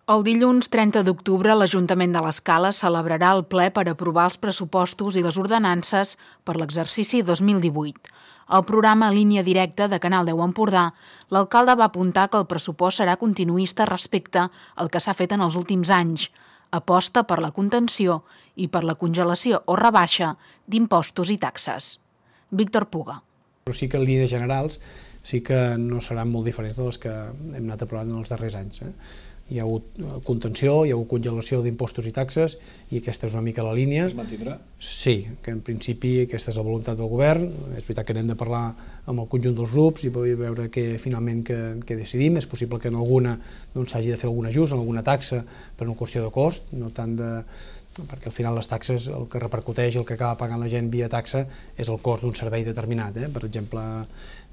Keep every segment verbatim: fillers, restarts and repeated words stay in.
El dilluns trenta d'octubre l'Ajuntament de l'Escala celebrarà el ple per aprovar els pressupostos i les ordenances per l'exercici dos mil divuit. Al programa Línia Directa de Canal deu Empordà, l'alcalde va apuntar que el pressupost serà continuista respecte al que s'ha fet en els últims anys. Aposta per la contenció i per la congelació o rebaixa d'impostos i taxes. Víctor Puga. Però sí que en línies generals sí que no seran molt diferents de les que hem anat aprovant en els darrers anys. Eh? Hi ha hagut contenció, hi ha hagut congelació d'impostos i taxes i aquesta és una mica la línia. Es mantindrà? Sí, que en principi aquesta és la voluntat del govern. És veritat que n'hem de parlar amb el conjunt dels grups i veure què finalment què, què decidim. És possible que en alguna doncs, s'hagi de fer algun ajust, en alguna taxa per una qüestió de cost, no tant de... perquè al final les taxes, el que repercuteix, el que acaba pagant la gent via taxa és el cost d'un servei determinat. Eh? Per exemple,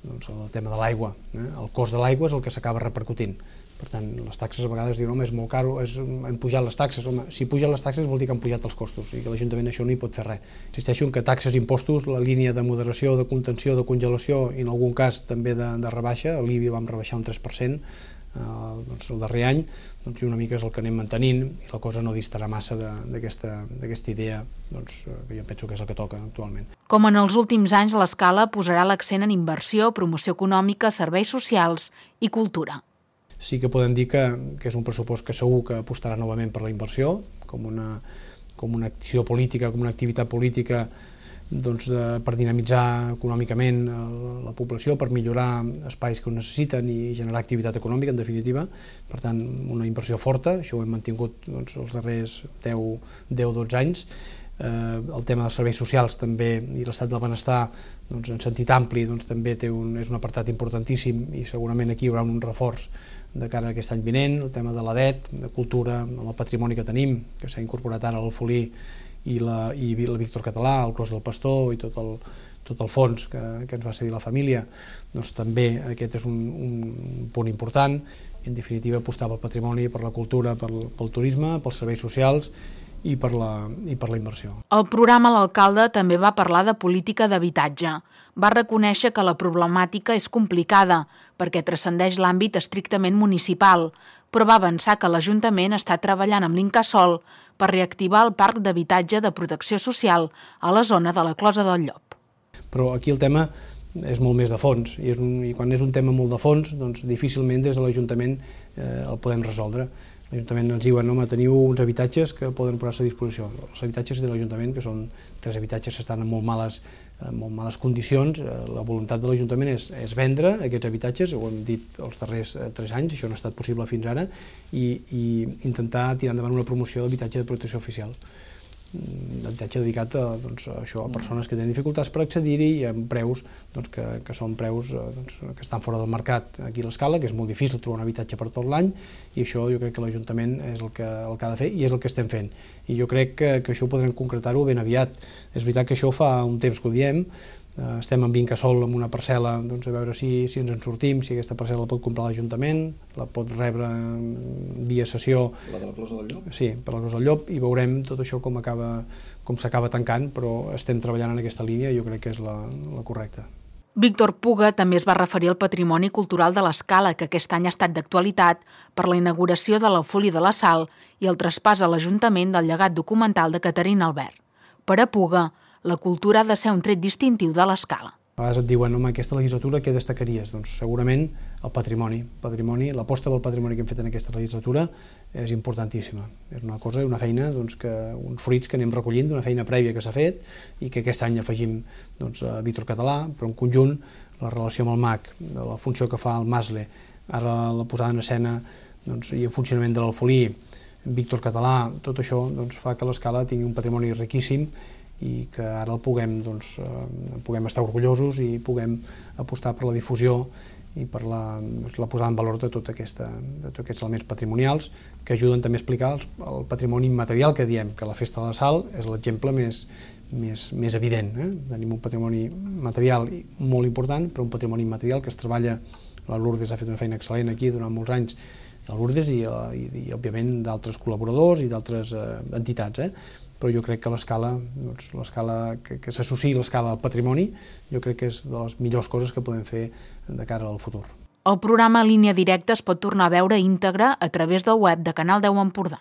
doncs, el tema de l'aigua. Eh? El cost de l'aigua és el que s'acaba repercutint. Per tant, les taxes a vegades diuen, home, és molt caro, és, han pujat les taxes. Home, si pugen les taxes vol dir que han pujat els costos i que l'Ajuntament això no hi pot fer res. Insisteixo en que taxes i impostos, la línia de moderació, de contenció, de congelació i en algun cas també de, de rebaixa, l'I B I vam rebaixar un tres per cent eh, doncs, el darrer any, doncs, una mica és el que anem mantenint i la cosa no distarà massa d'aquesta idea doncs, que jo penso que és el que toca actualment. Com en els últims anys, l'Escala posarà l'accent en inversió, promoció econòmica, serveis socials i cultura. Sí que podem dir que, que és un pressupost que segur que apostarà novament per la inversió, com una, com una acció política, com una activitat política doncs, de, per dinamitzar econòmicament la població, per millorar espais que ho necessiten i generar activitat econòmica, en definitiva. Per tant, una inversió forta, això ho hem mantingut doncs, els darrers deu a dotze anys. Eh, el tema dels serveis socials també i l'estat del benestar doncs, en sentit ampli doncs, també té un, és un apartat importantíssim i segurament aquí hi haurà un reforç de cara a aquest any vinent. El tema de l'A D E T, de cultura, amb el patrimoni que tenim, que s'ha incorporat ara l'Alfolí i la, i la Víctor Català, el Clos del Pastor i tot el, tot el fons que, que ens va cedir la família, doncs també aquest és un, un punt important i en definitiva apostar pel patrimoni, per la cultura, pel, pel turisme, pels serveis socials i per la, i per la inversió. Al programa l'alcalde també va parlar de política d'habitatge. Va reconèixer que la problemàtica és complicada perquè transcendeix l'àmbit estrictament municipal, però va avançar que l'Ajuntament està treballant amb l'Incasòl per reactivar el parc d'habitatge de protecció social a la zona de la Closa del Llop. Però aquí el tema és molt més de fons i, és un, i quan és un tema molt de fons doncs difícilment des de l'Ajuntament eh, el podem resoldre. L'Ajuntament ens diuen, home, teniu uns habitatges que poden posar-se a disposició. Els habitatges de l'Ajuntament, que són tres habitatges que estan en molt males, en molt males condicions, la voluntat de l'Ajuntament és, és vendre aquests habitatges, ho hem dit els darrers tres anys, això no ha estat possible fins ara, i, i intentar tirar endavant una promoció d'habitatge de protecció oficial. D'habitatge dedicat a, doncs, a això, a persones que tenen dificultats per accedir-hi i amb preus doncs, que, que són preus doncs, que estan fora del mercat aquí a l'Escala, que és molt difícil trobar un habitatge per tot l'any i això jo crec que l'Ajuntament és el que, el que ha de fer i és el que estem fent. I jo crec que, que això podrem concretar-ho ben aviat. És veritat que això fa un temps que ho diem, estem amb Incasòl amb una parcel·la doncs, a veure si, si ens en sortim, si aquesta parcel·la la pot comprar l'Ajuntament, la pot rebre via cessió. La de la Closa del Llop? Sí, per la Closa del Llop, i veurem tot això com acaba, com s'acaba tancant, però estem treballant en aquesta línia i jo crec que és la, la correcta. Víctor Puga també es va referir al patrimoni cultural de l'Escala, que aquest any ha estat d'actualitat per la inauguració de l'Alfolí de la Sal i el traspàs a l'Ajuntament del llegat documental de Caterina Albert. Per a Puga, la cultura ha de ser un tret distintiu de l'Escala. A vegades et diuen, home, aquesta legislatura què destacaries? Doncs segurament el patrimoni. patrimoni l'aposta pel patrimoni que hem fet en aquesta legislatura és importantíssima. És una cosa, una feina, doncs, que, uns fruits que anem recollint d'una feina prèvia que s'ha fet i que aquest any afegim doncs, a Víctor Català, però en conjunt la relació amb el M A C, la funció que fa el Masle, ara la posada en escena doncs, i en funcionament de l'Alfolí, Víctor Català, tot això doncs, fa que l'Escala tingui un patrimoni riquíssim i que ara el puguem, doncs, eh, puguem estar orgullosos i puguem apostar per la difusió i per la, doncs, la posada en valor de, tot aquesta, de tots aquests elements patrimonials que ajuden també a explicar el, el patrimoni immaterial que diem, que la Festa de la Sal és l'exemple més, més, més evident. Eh? Tenim un patrimoni material molt important, però un patrimoni immaterial que es treballa, la Lourdes ha fet una feina excel·lent aquí durant molts anys, la Lourdes i, i, i òbviament d'altres col·laboradors i d'altres eh, entitats, eh? Però jo crec que l'escala, doncs, l'escala que, que s'associï l'escala al patrimoni, jo crec que és de les millors coses que podem fer de cara al futur. El programa Línia Directa es pot tornar a veure íntegre a través del web de Canal deu Empordà.